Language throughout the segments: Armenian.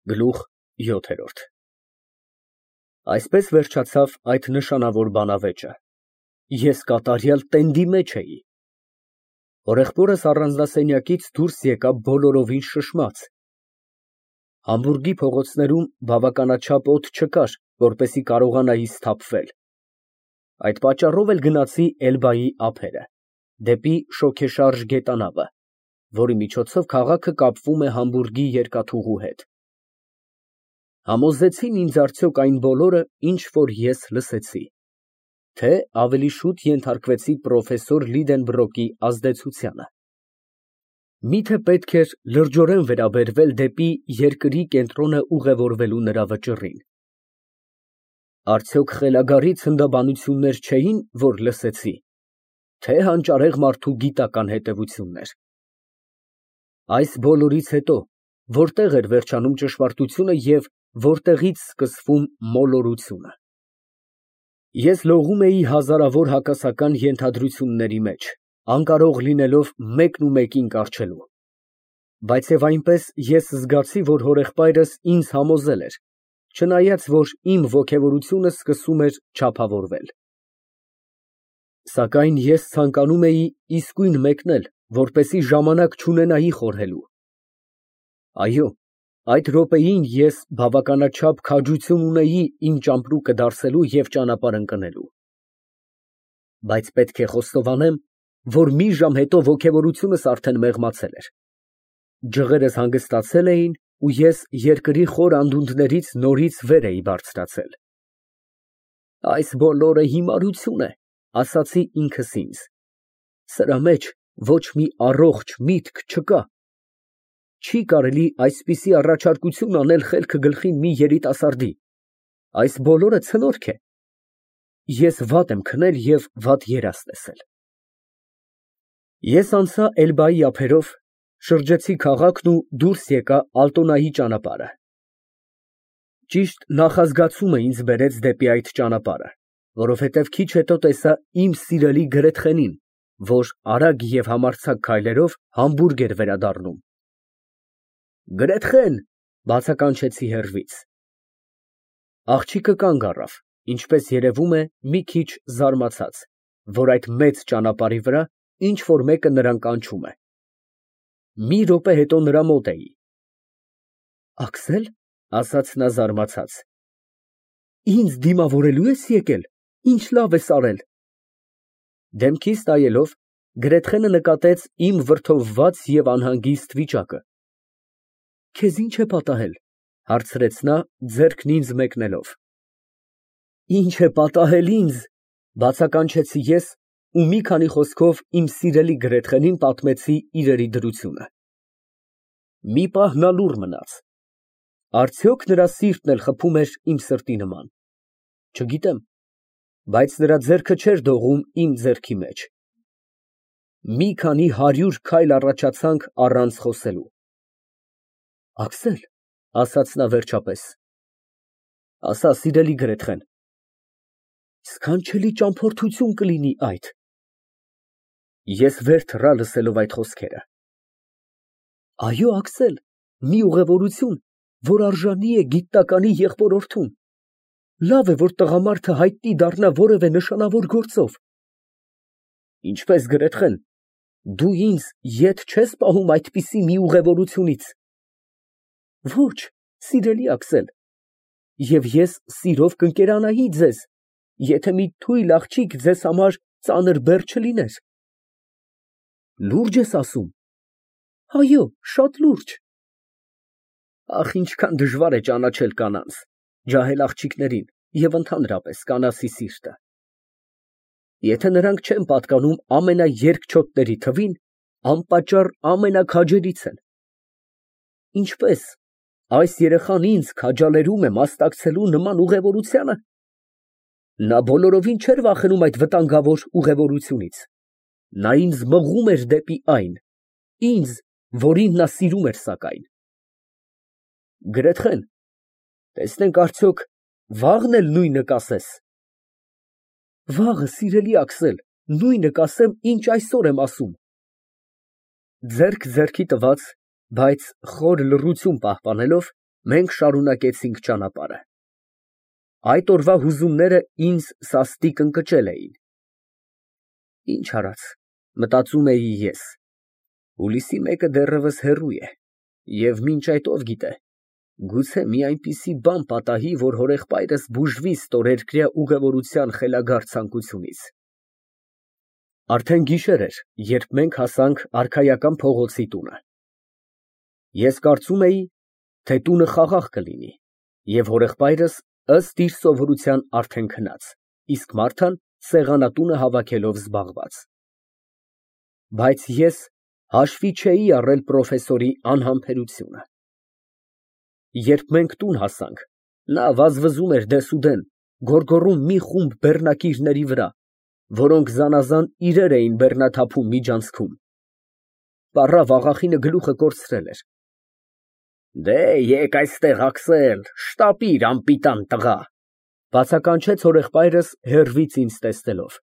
Գլուխ 7 Այսպես վերջացավ այդ նշանավոր բանավեճը։ Ես կատարյալ տենդի մեջ էի։ Հորեղբորս առանձնասենյակից դուրս եկա բոլորովին շշմած։ Համբուրգի փողոցներում բավականաչափ օդ չկար, որպեսզի կարողանայի սթափվել։ Այդ պատճառով էլ գնացի Էլբայի ափերը, դեպի շոգեշարժ գետանավը, որի միջոցով քաղաքը կապվում է Համբուրգի երկաթուղու հետ։ Համոզեցին ինձ արդյոք այն բոլորը, ինչ որ ես լսեցի, թե ավելի շուտ ենթարկվեցի պրոֆեսոր Լիդենբրոկի ազդեցությանը։ Միթե պետք էր լրջորեն վերաբերվել դեպի երկրի կենտրոնը ուղևորվելու նրա վճռին։ Արդյոք խելագարի ցնդաբանություններ չէին, որ լսեցի, թե հանճարեղ մարդու գիտական հետևություններ։ Այս բոլորից հետո որտեղ էր վերջանում ճշմարտությունը և որտեղից սկսվում մոլորությունը։ Ես լողում էի հազարավոր հակասական ենթադրությունների մեջ, անկարող լինելով մեկն ու մեկին կառչելու։ Բայց և այնպես ես զգացի, որ հորեղբայրս ինձ համոզել էր, չնայած որ իմ ոգևորությունը սկսում էր չափավորվել։ Սակայն ես ցանկանում էի իսկույն մեկնել, որպեսզի ժամանակ չունենայի խորհելու։ Այո, այդ րոպեին ես բավականաչափ քաջություն ունեի իմ ճամպրուկը դարսելու և ճանապարհ ընկնելու։ Բայց պետք է խոստովանեմ, որ մի ժամ հետո ոգևորությունս արդեն մեղմացել էր։ Ջղերս հանգստացել էին, ու ես երկրի խոր անդունդներից նորից վեր էի բարձրացել։ Այս բոլորը հիմարություն է, ասացի ինքս ինձ։ Սրա մեջ ոչ մի առողջ միտք չկա։ Չի կարելի այսպիսի առաջարկություն անել խելքը գլխին մի երիտասարդի։ Այս բոլորը ցնորք է։ Ես վատ եմ քնել և վատ երազ տեսել։ Ես անցա Էլբայի ափերով, շրջեցի քաղաքն ու դուրս եկա Ալտոնայի ճանապարհը։ Ճիշտ նախազգացումը ինձ բերեց դեպի այդ ճանապարհը, որովհետև քիչ հետո տեսա իմ սիրելի Գրեթխենին, որ արագ և համարձակ քայլերով Համբուրգ էր վերադառնում։ Գրեթխեն, բացականչեցի հեռվից։ Աղջիկը կանգ առավ, ինչպես երևում է, մի քիչ զարմացած, որ այդ մեծ ճանապարհի վրա ինչ֊որ մեկը նրան կանչում է։ Մի րոպե հետո նրա մոտ էի։ Աքսե՞լ, ասաց նա զարմացած։ Ինձ դիմավորելու ես եկել, ինչ լավ ես արել։ Դեմքիս նայելով, Գրեթխենը նկատեց իմ վրդովված և անհանգիստ վիճակը։ Քեզ ի՞նչ է պատահել, հարցրեց նա, ձեռքն ինձ մեկնելով։ Ինչ է պատահել ինձ, բացականչեցի ես ու մի քանի խոսքով իմ սիրելի Գրեթխենին պատմեցի իրերի դրությունը։ Մի պահ նա լուռ մնաց։ Արդյոք նրա սիրտն էլ խփում էր իմ սրտի նման։ Չգիտեմ, բայց նրա ձեռքը չէր դողում իմ ձեռքի մեջ։ Մի քանի 100 քայլ առաջացանք առանց խոսելու։ Աքսել, ասաց նա վերջապես, ասա, սիրելի Գրեթխեն, սքանչելի ճամփորդություն կլինի այդ։ Ես վեր թռա լսելով այդ խոսքերը։ Այո, Աքսել, մի ուղևորություն, որ արժանի է գիտնականի եղբորորդուն։ Լավ է, որ տղամարդը հայտնի դառնա որևէ նշանավոր գործով։ Ինչպես, Գրեթխեն, դու ինձ ետ չես պահում այդպիսի մի ուղևորությունից։ Ոչ, սիրելի Աքսել, և ես սիրով կընկերանայի ձեզ, եթե մի թույլ աղջիկ ձեզ համար ծանր բեռ չլիներ։ Լուրջ ես ասում։ Այո, շատ լուրջ։ Ախ, ինչքան դժվար է ճանաչել կանանց, ջահել աղջիկներին և ընդհանրապես կանացի սիրտը։ Եթե նրանք չեն պատկանում ամենաերկչոտների թվին, անպատճառ ամենաքաջերից են։ Ինչպե՞ս, այս երեխան ինձ քաջալերում է մասնակցելու նման ուղևորությանը։ Նա բոլորովին չէր վախենում այդ վտանգավոր ուղևորությունից։ Նա ինձ մղում էր դեպի այն, ինձ, որին նա սիրում էր սակայն։ Գրեթխեն, տեսնենք արդյոք վաղն էլ նույնը կասես։ Վաղը, սիրելի Աքսել, նույնը կասեմ, ինչ այսօր եմ ասում։ Ձեռք ձեռքի տված, բայց խոր լռություն պահպանելով, Մենք շարունակեցինք ճանապարհը։ Այդ օրվա հուզումները ինձ սաստիկ ընկճել էին։ Ինչ արած, մտածում էի ես, հուլիսի 1-ը դեռևս հեռու է, և մինչ այդ ով գիտե, գուցե մի այնպիսի բան պատահի, որ հորեղբայրս բուժվի ստորերկրյա ուղևորության խելագար ցանկությունից։ Արդեն գիշեր էր, երբ մենք հասանք արքայական փողոցի տունը։ Ես կարծում էի, թե տունը խաղաղ կլինի, և հորեղբայրս ըստ իր սովորության արդեն քնած, իսկ Մարթան սեղանատունը հավաքելով զբաղված։ Բայց ես հաշվի չէի առել պրոֆեսորի անհամբերությունը։ Երբ մենք տուն հասանք, նա վազվզում էր դեսուդեն, գոռգոռում մի խումբ բեռնակիրների վրա, որոնք զանազան իրեր էին բեռնաթափում միջանցքում։ Պառավ աղախինը գլուխը կորցրել էր։ Դե եկ այստեղ, Աքսել, շտապիր, անպիտան տղա, բացականչեց հորեղբայրս հեռվից ինձ տեսնելով։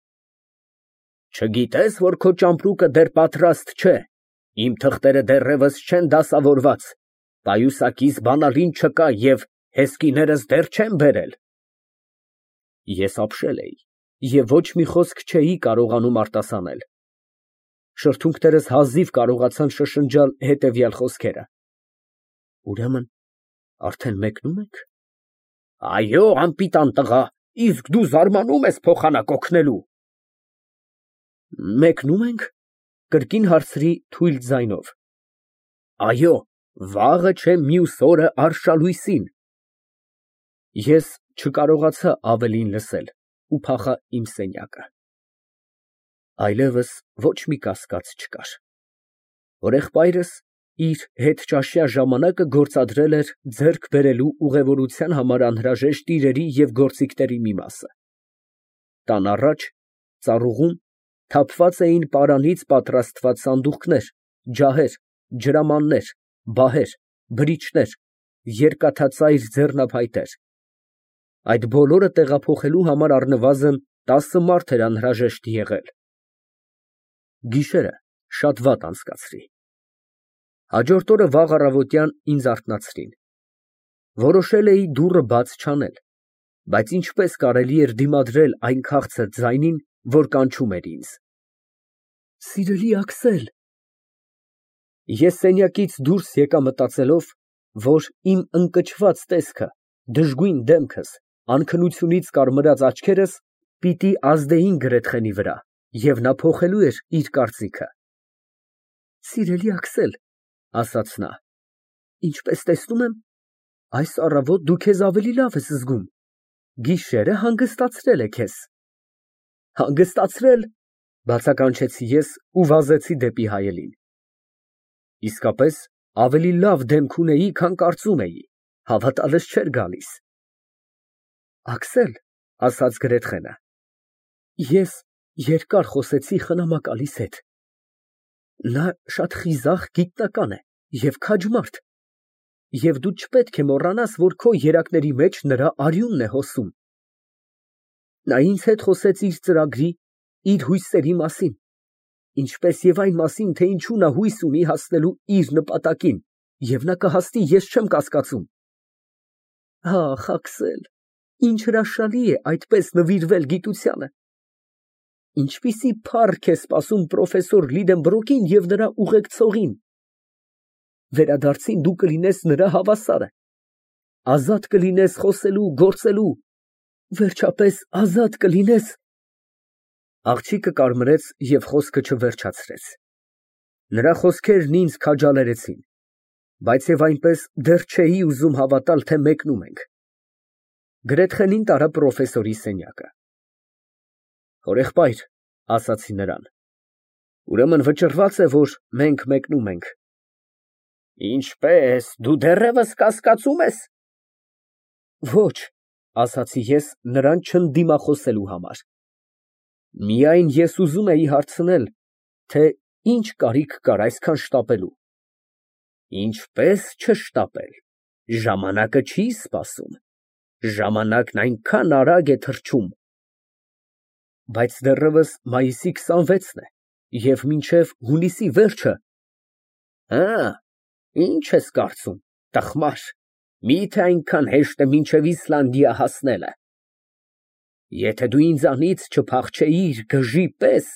Չգիտես, որ քո ճամպրուկը դեռ պատրաստ չէ, իմ թղթերը դեռևս չեն դասավորված, պայուսակիս բանալին չկա և հեսկիներս դեռ չեն բերել։ Ես ապշել էի և ոչ մի խոսք չէի կարողանում արտասանել։ Շրթունքներս հազիվ կարողացան շշնջալ հետևյալ խոսքերը. Ուրեմն արդեն մեկնում եք։ Այո, անպիտան տղա, իսկ դու զարմանում ես փոխանակ օգնելու։ Մեկնում ենք, կրկին հարցրի թույլ ձայնով։ Այո, վաղը չէ մյուս օրը արշալույսին։ Ես չկարողացա ավելին լսել ու փախա իմ սենյակը։ Այլևս ոչ մի կասկած չկար։ Հորեղբայրս իր հետճաշյա ժամանակը գործադրել էր ձեռք բերելու ուղևորության համար անհրաժեշտ իրերի և գործիքների մի մասը։ Տան առաջ, ծառուղում, թափված էին պարանից պատրաստված սանդուղքներ, ջահեր, ջրամաններ, բահեր, բրիչներ, երկաթածայր ձեռնափայտեր։ Այդ բոլորը տեղափոխելու համար առնվազն 10 մարդ էր անհրաժեշտ եղել։ Գիշերը շատ վատ անցկացրի։ Հաջորդ օրը վաղ առավոտյան ինձ արթնացրին։ Որոշել էի դուռը բաց չանել, բայց ինչպես կարելի էր դիմադրել այն քաղցր ձայնին, որ կանչում էր ինձ։ Սիրելի Աքսել։ Ես սենյակից դուրս եկա մտածելով, որ իմ ընկճված տեսքը, դժգույն դեմքս, անքնությունից կարմրած աչքերս պիտի ազդեին Գրեթխենի վրա, և նա փոխելու էր իր կարծիքը։ Սիրելի Աքսել, ասաց նա, ինչպես տեսնում եմ, այս առավոտ դու քեզ ավելի լավ ես զգում, գիշերը հանգստացրել է քեզ։ Հանգստացրել, բացականչեցի ես ու վազեցի դեպի հայելին։ Իսկապես, ավելի լավ դեմք ունեի, քան կարծում էի, հավատալս չէր գալիս։ Աքսել, ասաց Գրեթխենը, ես երկար խոսեցի խնամակալիս հետ։ Նա շատ խիզախ գիտնական է և քաջ մարդ, և դու չպետք է մոռանաս, որ քո երակների մեջ նրա արյունն է հոսում։ Նա ինձ հետ խոսեց իր ծրագրի, իր հույսերի մասին, ինչպես և այն մասին, թե ինչու նա հույս ունի հասնելու իր նպատակին, և նա կհասնի, ես չեմ կասկածում։ Ախ, Աքսել, ինչ հրաշալի է այդպես նվիրվել գիտությանը։ Ինչպիսի փառք է սպասում պրոֆեսոր Լիդենբրոկին և նրա ուղեկցողին։ Վերադարձին դու կլինես նրա հավասարը, ազատ կլինես խոսելու, գործելու, վերջապես ազատ կլինես։ Աղջիկը կարմրեց և խոսքը չվերջացրեց։ Նրա խոսքերն ինձ քաջալերեցին, բայց և այնպես դեռ չէի ուզում հավատալ, թե մեկնում ենք։ Գրեթխենին տարա պրոֆեսորի սենյակը։ Հորեղբայր, ասացի նրան, ուրեմն վճռված է, որ մենք մեկնում ենք։ Ինչպես, դու դեռևս կասկածում ես։ Ոչ, ասացի ես նրան չընդդիմախոսելու համար։ Միայն ես ուզում էի հարցնել, թե ինչ կարիք կար այսքան շտապելու։ Ինչպես չշտապել, ժամանակը չի սպասում, ժամանակն այնքան արագ է թռչում։ Բայց դեռևս մայիսի 26-ն է, և մինչև հունիսի վերջը։ Հը, ինչ ես կարծում, տխմար, Մի՞թե այնքան հեշտ է մինչև Իսլանդիա հասնելը։ Եթե դու ինձանից չփախչեիր գժի պես,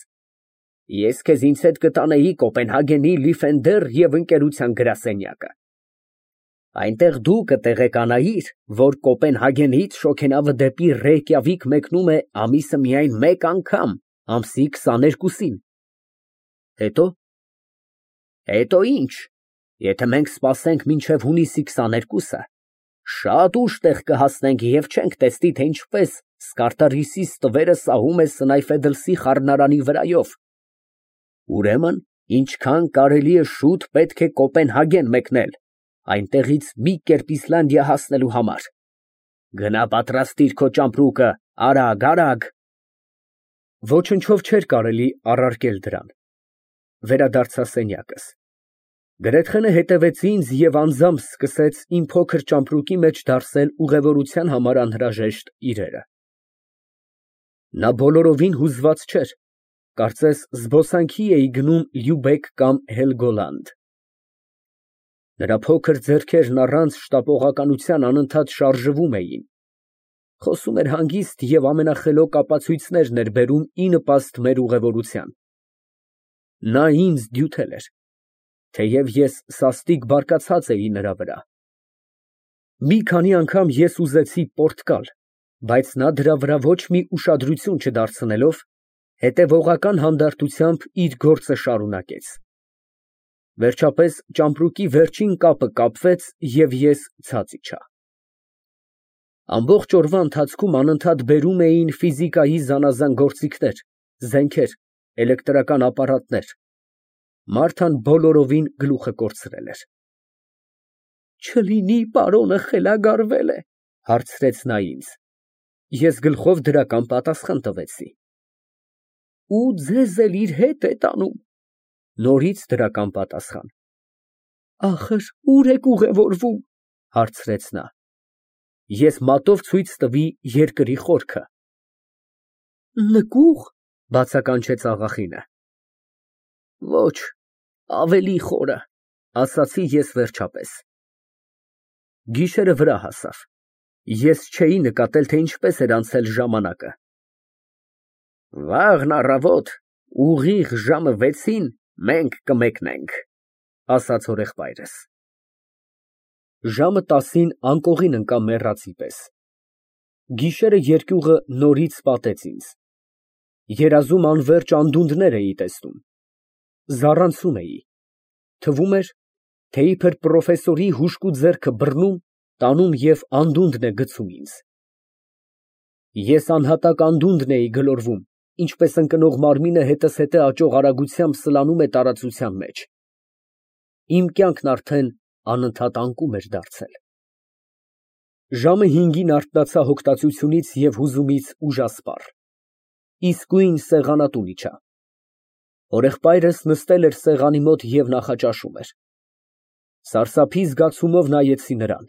ես քեզ ինձ հետ կտանեի Կոպենհագենի Լիֆենդեր և ընկերության գրասենյակը։ Այնտեղ դու կտեղեկանայիր, որ Կոպենհագենից շոգենավը դեպի Ռեյկյավիկ մեկնում է ամիսը միայն մեկ անգամ, ամսի 22-ին։ Հետո։ Հետո ինչ, եթե մենք սպասենք մինչև հունիսի 22-ը, շատ ուշ տեղ կհասնենք և չենք տեսնի, թե ինչպես Սկարտարիսի ստվերը սահում է Սնայֆեդլսի խառնարանի վրայով։ Ուրեմն, ինչքան կարելի է շուտ պետք է Կոպենհագեն մեկնել, այնտեղից մի կերպ Իսլանդիա հասնելու համար։ Գնա պատրաստիր քո ճամպրուկը, արագ, արագ։ Ոչնչով չէր կարելի առարկել դրան։ Վերադարձա սենյակս։ Գրեթխենը հետևեց ինձ և անձամբ սկսեց իմ փոքր ճամպրուկի մեջ դարսել ուղևորության համար անհրաժեշտ իրերը։ Նա բոլորովին հուզված չէր, կարծես զբոսանքի էի գնում Լյուբեկ կամ Հելգոլանդ։ Նրա փոքր ձեռքերն առանց շտապողականության անընդհատ շարժվում էին, խոսում էր հանգիստ և ամենախելոք ապացույցներն էր բերում ի նպաստ մեր ուղևորության։ Նա ինձ դյութել էր, թեև ես սաստիկ բարկացած էի նրա վրա։ Մի քանի անգամ ես ուզեցի պորտկալ, բայց նա դրա վրա ոչ մի ուշադրություն չդարձնելով, հետևողական հանդարտությամբ իր գործը շարունակեց։ Վերջապես ճամպրուկի վերջին կապը կապվեց և ես ցած իջա։ Ամբողջ օրվա ընթացքում անընդհատ բերում էին ֆիզիկայի զանազան գործիքներ, զենքեր, էլեկտրական ապարատներ։ Մարթան բոլորովին գլուխը կորցրել էր։ Չլինի պարոնը խելագարվել է, հարցրեց նա ինձ։ Ես գլխով դրական պատասխան տվեցի։ Ու ձեզ էլ իր հետ է տանում։ Նորից դրական պատասխան։ Ախր ուր եք ուղևորվում, հարցրեց նա։ Ես մատով ցույց տվի երկրի խորքը։ Նկուղ, բացականչեց աղախինը։ Ոչ, ավելի խորը, ասացի ես վերջապես։ Գիշերը վրա հասավ։ Ես չէի նկատել, թե ինչպես էր անցել ժամանակը։ Վաղն առավոտ, ուղիղ ժամը 6-ին մենք կմեկնենք, ասաց հորեղբայրս։ Ժամը 10-ին անկողին ընկա մեռածի պես։ Գիշերը երկյուղը նորից պատեց ինձ։ Երազում անվերջ անդունդներ էի տեսնում։ Զառանցում էի։ Թվում էր, թե իբր պրոֆեսորի հուժկու ձեռքը բռնում, տանում և անդունդն է գցում ինձ։ Ես անհատակ անդունդն էի գլորվում, ինչպես ընկնող մարմինը հետզհետե աճող արագությամբ սլանում է տարածության մեջ։ Իմ կյանքն արդեն անընդհատ անկում էր դարձել։ Ժամը 5-ին արթնացա հոգտացությունից և հուզումից ուժասպառ։ Իսկույն սեղանատուն իջա։ Հորեղբայրս նստել էր սեղանի մոտ և նախաճաշում էր։ Սարսափի զգացումով նայեցի նրան։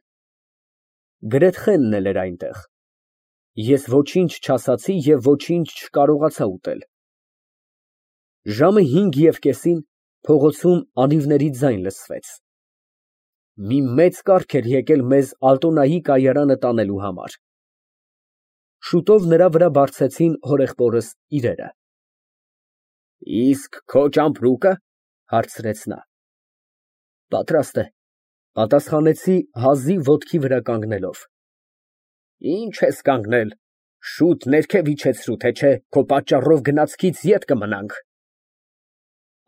Գրեթխենն էլ էր այնտեղ։ Ես ոչինչ չասացի և ոչինչ չկարողացա ուտել։ Ժամը 5:30-ին փողոցում անիվների ձայն լսվեց։ Մի մեծ կառք էր եկել մեզ Ալտոնայի կայարանը տանելու համար։ Շուտով նրա վրա բարձեցին հորեղբորս իրերը։ Իսկ քո ճամպրուկը, հարցրեց նա։ Պատրաստ է, պատասխանեցի հազիվ ոտքի վրա կանգնելով։ Ինչ ես կանգնել, շուտ ներքև իջեցրու, թե չէ քո պատճառով գնացքից ետ կմնանք։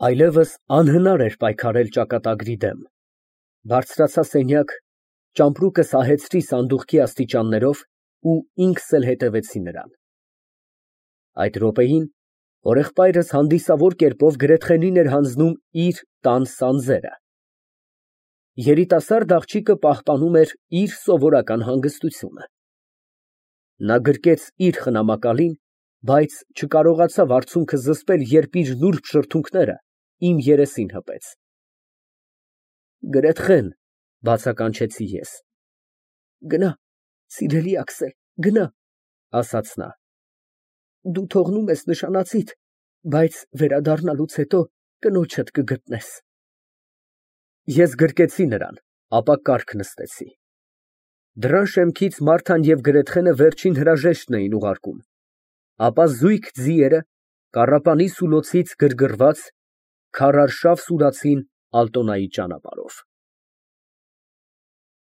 Այլևս անհնար էր պայքարել ճակատագրի դեմ։ Բարձրացա սենյակ, ճամպրուկը սահեցրի սանդուղքի աստիճաններով ու ինքս էլ հետևեցի նրան։ Այդ րոպեին հորեղբայրս հանդիսավոր կերպով Գրեթխենին էր հանձնում իր տան սանձերը։ Երիտասարդ աղջիկը պահպանում էր իր սովորական հանգստությունը։ Նա գրկեց իր խնամակալին, բայց չկարողացավ արցունքը զսպել, երբ իր նուրբ շրթունքները իմ երեսին հպեց։ Գրեթխեն, բացականչեցի ես։ Գնա, սիրելի Աքսել, գնա, ասաց նա։ Դու թողնում ես նշանածիդ, բայց վերադառնալուց հետո կնոջդ կգտնես։ Ես գրկեցի նրան, ապա կառք նստեցի։ Դռան շեմքից Մարթան և Գրեթխենը վերջին հրաժեշտն էին ուղարկում, ապա զույգ ձիերը կառապանի սուլոցից գրգռված քարարշավ սուրացին Ալտոնայի ճանապարհով։